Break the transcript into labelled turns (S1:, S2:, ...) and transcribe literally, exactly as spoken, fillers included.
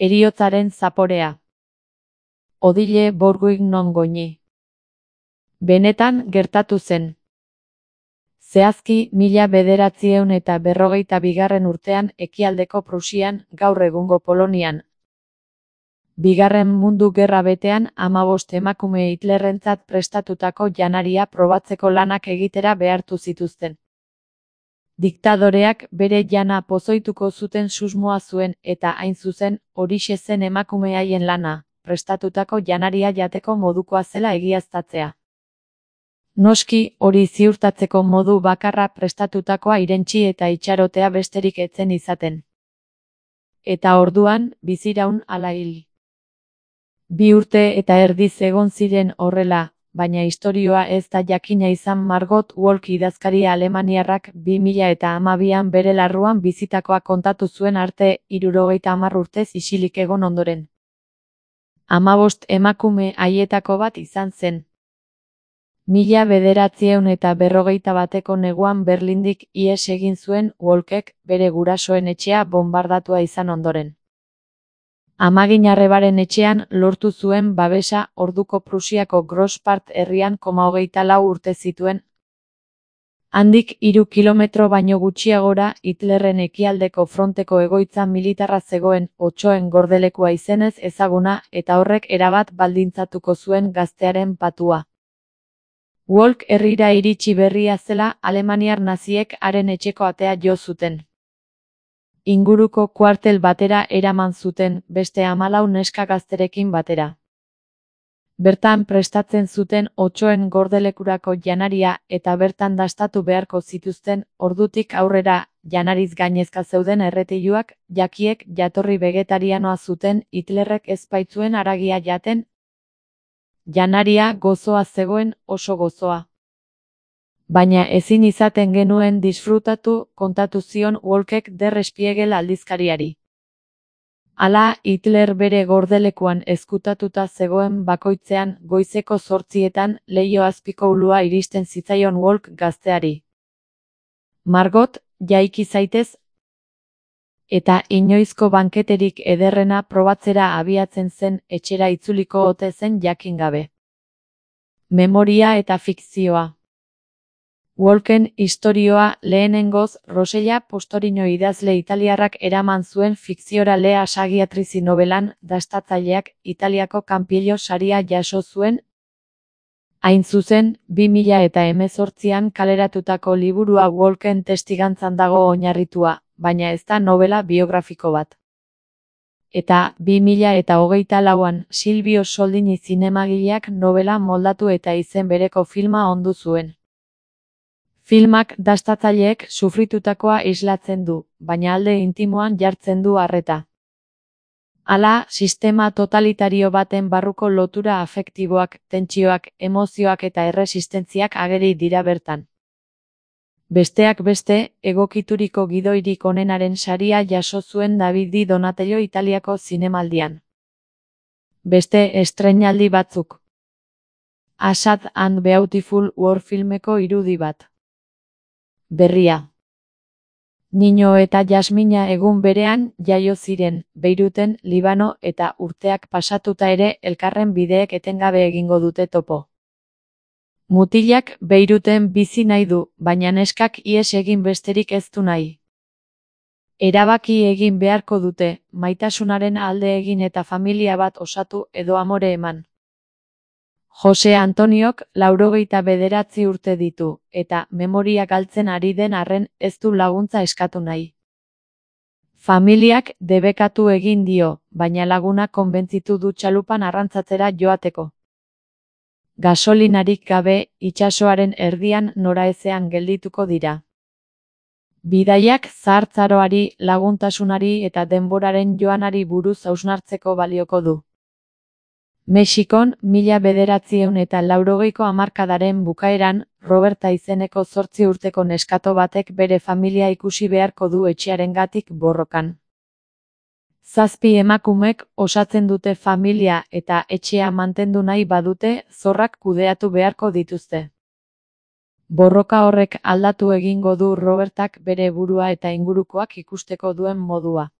S1: Heriotzaren zaporea. Odile Bourguig non goñi. Benetan gertatu zen. Zehazki mila bederatziehun eta berrogeita bigarren urtean ekialdeko Prusian, gaur egungo Polonian. Bigarren Mundu Gerra betean hamabost emakume Hitlerrentzat prestatutako janaria probatzeko lanak egitera behartu zituzten. Diktadoreak bere jana pozoituko zuten susmoa zuen eta hain zuzen, horixe zen emakume haien lana, prestatutako janaria jateko modukoa zela egiaztatzea. Noski, hori ziurtatzeko modu bakarra prestatutakoa irentsi eta itxarotea besterik etzen izaten. Eta orduan, biziraun ala hil. Bi urte eta erdiz egon ziren horrela, baina istorioa ez da jakina izan Margot Wolk idazkaria alemaniarrak bi mila eta hamabian bere larruan bizitakoa kontatu zuen arte hirurogeita hamar urtez isilik egon ondoren. Hamabost emakume haietako bat izan zen. Mila bederatziehun eta berrogeita bateko neguan Berlindik ihes egin zuen Wolkek bere gurasoen etxea bonbardatua izan ondoren. Amaginarrebaren etxean lortu zuen babesa orduko Prusiako Großpart herrian koma hogeita lau urte zituen. Handik hiru kilometro baino gutxiagora Hitlerren ekialdeko fronteko egoitza militarra zegoen Otsoen gordelekua izenez ezaguna eta horrek erabat baldintzatuko zuen gaztearen patua. Wolk herrira iritsi berria zela alemaniar naziek haren etxeko atea jo zuten. Inguruko kuartel batera eraman zuten, beste hamalau neska gazterekin batera. Bertan prestatzen zuten Otsoen gordelekurako janaria eta bertan dastatu beharko zituzten, ordutik aurrera, janariz gainezka zeuden erretiluak, jakiek jatorri vegetarianoa zuten Hitlerrek ez baitzuen haragia jaten. Janaria gozoa zegoen, oso gozoa. Baina ezin izaten genuen disfrutatu, kontatu zion Wolkek Der Spiegel aldizkariari. Hala, Hitler bere gordelekuan ezkutatuta zegoen bakoitzean, goizeko zortzietan, leiho azpiko ulua iristen zitzaion Wolk gazteari. Margot, jaiki zaitez? Eta inoizko banketerik ederrena probatzera abiatzen zen etxera itzuliko ote zen jakin gabe. Memoria eta fikzioa. Wolken istorioa lehenengoz Rosella Postorino idazle italiarrak eraman zuen fikziora Lea Sagiatrizi nobelan, dastatzaileak Italiako Kanpiello saria jaso zuen. Hain zuzen, bi mila eta hemezortzian kaleratutako liburua Wolken testigantzan dago oinarritua, baina ez da novela biografiko bat. Eta bi mila eta hogeita lauan Silvio Soldini zinemagileak novela moldatu eta izen bereko filma ondu zuen. Filmak dastatzaileek sufritutakoa islatzen du, baina alde intimoan jartzen du arreta. Hala, sistema totalitario baten barruko lotura afektiboak, tentsioak, emozioak eta erresistentziak ageri dira bertan. Besteak beste, egokituriko gidoirik onenaren saria jaso zuen Davide Donatello Italiako zinemaldian. Beste estreinaldi batzuk. A Sad and Beautiful World filmeko irudi bat. Berria. Nino eta Jasmina egun berean jaio ziren, Beiruten, Libano eta urteak pasatuta ere elkarren bideek etengabe egingo dute topo. Mutilak Beiruten bizi nahi du, baina neskak ihes egin besterik ez du nahi. Erabaki egin beharko dute, maitasunaren alde egin eta familia bat osatu edo amore eman. Jose Antoniok laurogeita bederatzi urte ditu, eta memoria galtzen ari den arren ez du laguntza eskatu nahi. Familiak debekatu egin dio, baina laguna konbentzitu du txalupan arrantzatzera joateko. Gasolinarik gabe, itsasoaren erdian noraezean geldituko dira. Bidaiak zahartzaroari, laguntasunari eta denboraren joanari buruz hausnartzeko balioko du. Mexikon, mila bederatziehun eta laurogeiko hamarkadaren bukaeran, Roberta izeneko zortzi urteko neskato batek bere familia ikusi beharko du etxearengatik borrokan. Zazpi emakumek osatzen dute familia eta etxea mantendu nahi badute, zorrak kudeatu beharko dituzte. Borroka horrek aldatu egingo du Robertak bere burua eta ingurukoak ikusteko duen modua.